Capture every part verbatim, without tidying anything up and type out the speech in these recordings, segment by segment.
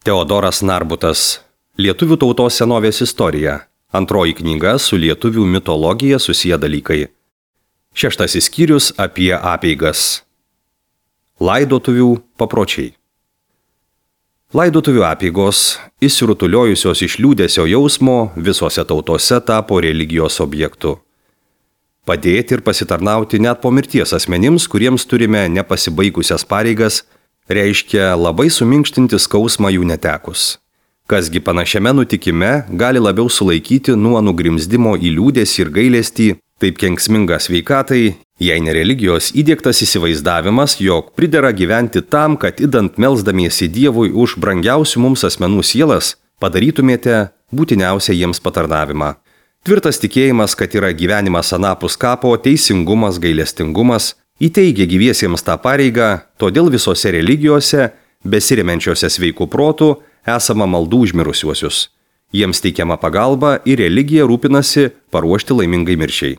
Teodoras Narbutas. Lietuvių tautos senovės istorija. Antroji knyga su lietuvių mitologija susiję dalykai. Šeštasis skyrius apie apeigas. Laidotuvių papročiai. Laidotuvių apeigos, įsirutuliojusios iš liūdesio jausmo, visose tautose tapo religijos objektu. Padėti ir pasitarnauti net po mirties asmenims, kuriems turime nepasibaigusias pareigas, reiškia labai suminkštinti skausmą jų netekus. Kasgi panašiame nutikime gali labiau sulaikyti nuo nugrimzdimo į liūdesį ir gailestį, taip kenksminga sveikatai, jei ne religijos įdiegtas įsivaizdavimas, jog pridera gyventi tam, kad idant melsdamiesi Dievui už brangiausių mums asmenų sielas, padarytumėte būtiniausią jiems patarnavimą. Tvirtas tikėjimas, kad yra gyvenimas anapus kapo, teisingumas, gailestingumas, įteigia gyviesiems tą pareigą, todėl visose religijose, besirimenčiose sveikų protų, esama maldų užmirusiuosius. Jiems teikiama pagalba ir religija rūpinasi paruošti laimingai mirčiai.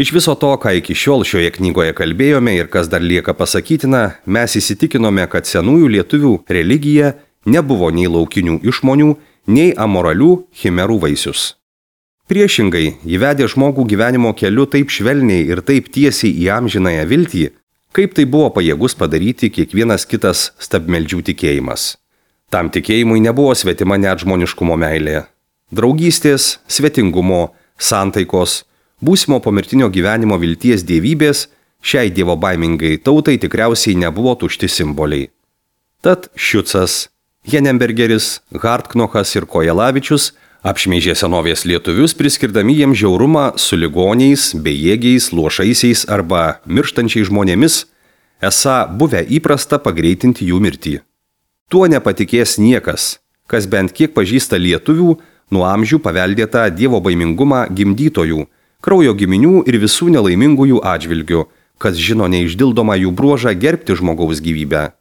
Iš viso to, ką iki šiol šioje knygoje kalbėjome ir kas dar lieka pasakytina, mes įsitikinome, kad senųjų lietuvių religija nebuvo nei laukinių išmonių, nei amoralių chimerų vaisius. Priešingai, įvedė žmogų gyvenimo keliu taip švelniai ir taip tiesiai į amžinąją viltį, kaip tai buvo pajėgus padaryti kiekvienas kitas stabmeldžių tikėjimas. Tam tikėjimui nebuvo svetima net žmoniškumo meilė. Draugystės, svetingumo, santaikos, būsimo pomirtinio gyvenimo vilties dievybės šiai dievo baimingai tautai tikriausiai nebuvo tušti simboliai. Tad Šiucas, Henembergeris, Hartknochas ir Kojelavičius apšmeižė senovės lietuvius, priskirdami jiems žiaurumą su ligoniais, bejėgiais, luošaisiais arba mirštančiais žmonėmis, esą buvę įprasta pagreitinti jų mirtį. Tuo nepatikės niekas, kas bent kiek pažįsta lietuvių nuo amžių paveldėtą dievo baimingumą gimdytojų, kraujo giminių ir visų nelaimingųjų atžvilgių, kas žino neišdildomą jų bruožą gerbti žmogaus gyvybę.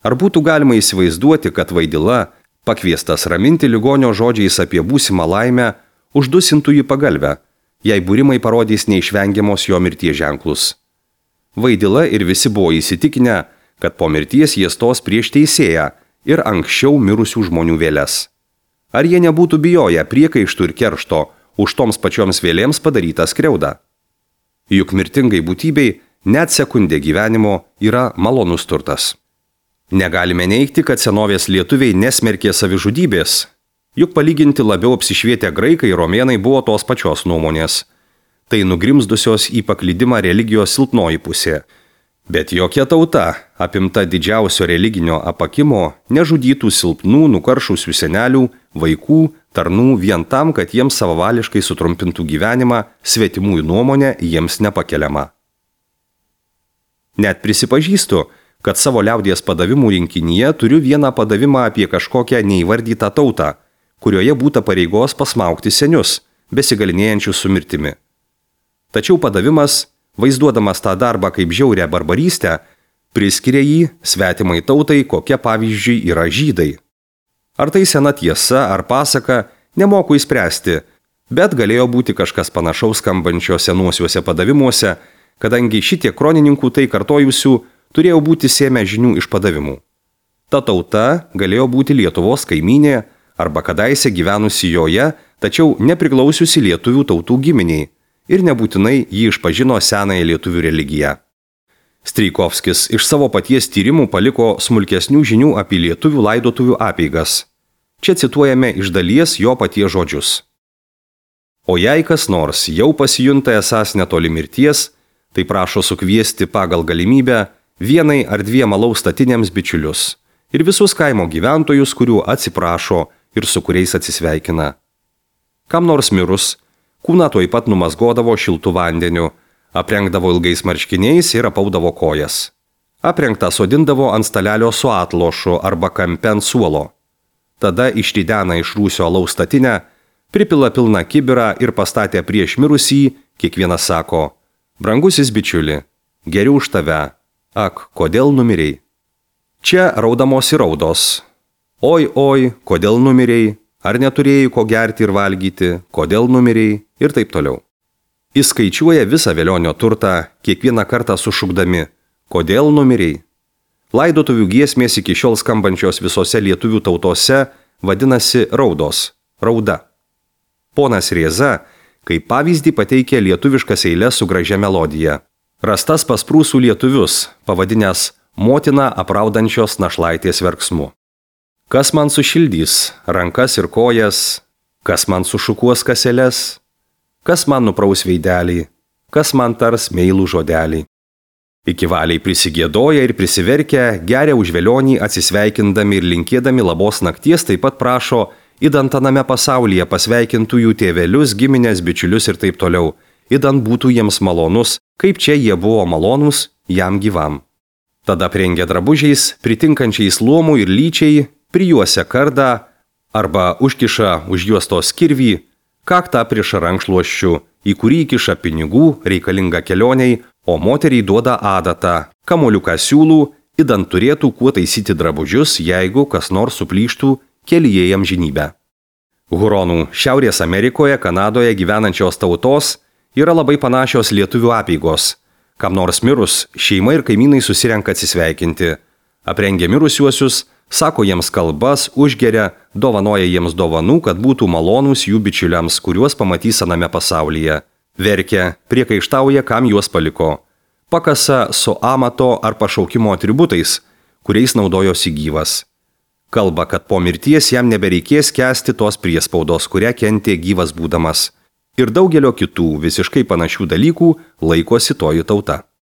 Ar būtų galima įsivaizduoti, kad Vaidila, pakviestas raminti ligonio žodžiais apie būsimą laimę, uždusintų jį pagalbę, jei būrimai parodys neišvengiamos jo mirties ženklus. Vaidila ir visi buvo įsitikinę, kad po mirties jie stos prieš teisėją ir anksčiau mirusių žmonių vėles. Ar jie nebūtų bijoję priekaištų ir keršto už toms pačioms vėlėms padarytą skriaudą? Juk mirtingai būtybei net sekundė gyvenimo yra malonus turtas. Negalime neigti, kad senovės lietuviai nesmerkė savižudybės, juk palyginti labiau apsišvietę graikai ir romėnai buvo tos pačios nuomonės. Tai nugrimzdusios į paklydimą religijos silpnoji pusė. Bet jokia tauta, apimta didžiausio religinio apakimo, nežudytų silpnų, nukaršusių senelių, vaikų, tarnų vien tam, kad jiems savavališkai sutrumpintų gyvenimą, svetimųjų nuomonė jiems nepakeliama. Net prisipažįstu, kad savo liaudies padavimų rinkinyje turiu vieną padavimą apie kažkokią neįvardytą tautą, kurioje būta pareigos pasmaugti senius, besigalinėjančius su mirtimi. Tačiau padavimas, vaizduodamas tą darbą kaip žiaurę barbarystę, priskiria jį svetimai tautai, kokia pavyzdžiui yra žydai. Ar tai sena tiesa ar pasaka, nemoku įspręsti, bet galėjo būti kažkas panašaus skambančio senuosiuose padavimuose, kadangi šitie kronininkų tai kartojusių turėjo būti sėmę žinių iš padavimų. Ta tauta galėjo būti Lietuvos kaimynė arba kadaise gyvenusi joje, tačiau nepriklausiusi lietuvių tautų giminiai ir nebūtinai jį išpažino senąją lietuvių religiją. Strijkovskis iš savo paties tyrimų paliko smulkesnių žinių apie lietuvių laidotuvių apeigas. Čia cituojame iš dalies jo paties žodžius. O jei kas nors jau pasijunta esąs netoli mirties, tai prašo sukviesti pagal galimybę vienai ar dviem alaus statiniams bičiulius ir visus kaimo gyventojus, kurių atsiprašo ir su kuriais atsisveikina. Kam nors mirus, kūną tuoj pat numazgodavo šiltų vandeniu, aprengdavo ilgais marškiniais ir apaudavo kojas. Aprengtą sodindavo ant stalelio su atlošu arba kampe ant suolo. Tada išridena iš rūsio alaus statinę, pripila pilną kibirą ir pastatė prieš mirusį, kiekvienas sako: brangusis bičiuli, geriau už tave. Ak, kodėl numirei? Čia raudamos ir raudos. Oi, oi, kodėl numirei? Ar neturėjai ko gerti ir valgyti? Kodėl numirei? Ir taip toliau. Įskaičiuoja visą velionio turtą, kiekvieną kartą sušukdami: kodėl numirei? Laidotuvių giesmės iki šiol skambančios visose lietuvių tautose vadinasi raudos, rauda. Ponas Rėza, kaip pavyzdį pateikė lietuviškas eiles su gražia melodija. Rastas pas prūsų lietuvius, pavadinęs motina apraudančios našlaitės verksmu. Kas man sušildys rankas ir kojas, kas man sušukuos kaseles, kas man nupraus veidelį, kas man tars meilų žodelį. Iki valiai prisigėdoja ir prisiverkia, geria už velionį atsisveikindami ir linkėdami labos nakties, taip pat prašo idant aname pasaulyje pasveikintų jų tėvelius, giminės, bičiulius ir taip toliau, idant būtų jiems malonus, kaip čia jie buvo malonus jam gyvam. Tada prengia drabužiais, pritinkančiais luomų ir lyčiai, prijuosia kardą arba užkiša už juostos kirvį, kaktą prieš rankšluosčių, į kurį įkiša pinigų reikalinga kelioniai, o moteriai duoda adatą, kamoliuką siūlų, idant turėtų kuo taisyti drabužius, jeigu kas nors suplyštų kelyje į amžinybę. Huronų Šiaurės Amerikoje, Kanadoje gyvenančios tautos yra labai panašios lietuvių apeigos. Kam nors mirus, šeima ir kaimynai susirenka atsisveikinti. Aprengia mirusiuosius, sako jiems kalbas, užgeria, dovanoja jiems dovanų, kad būtų malonūs jų bičiuliams, kuriuos pamatys aname pasaulyje. Verkia, priekaištauja, kam juos paliko. Pakasa su amato ar pašaukimo atributais, kuriais naudojosi gyvas. Kalba, kad po mirties jam nebereikės kęsti tos priespaudos, kurią kentė gyvas būdamas. Ir daugelio kitų visiškai panašių dalykų laikosi toji tauta.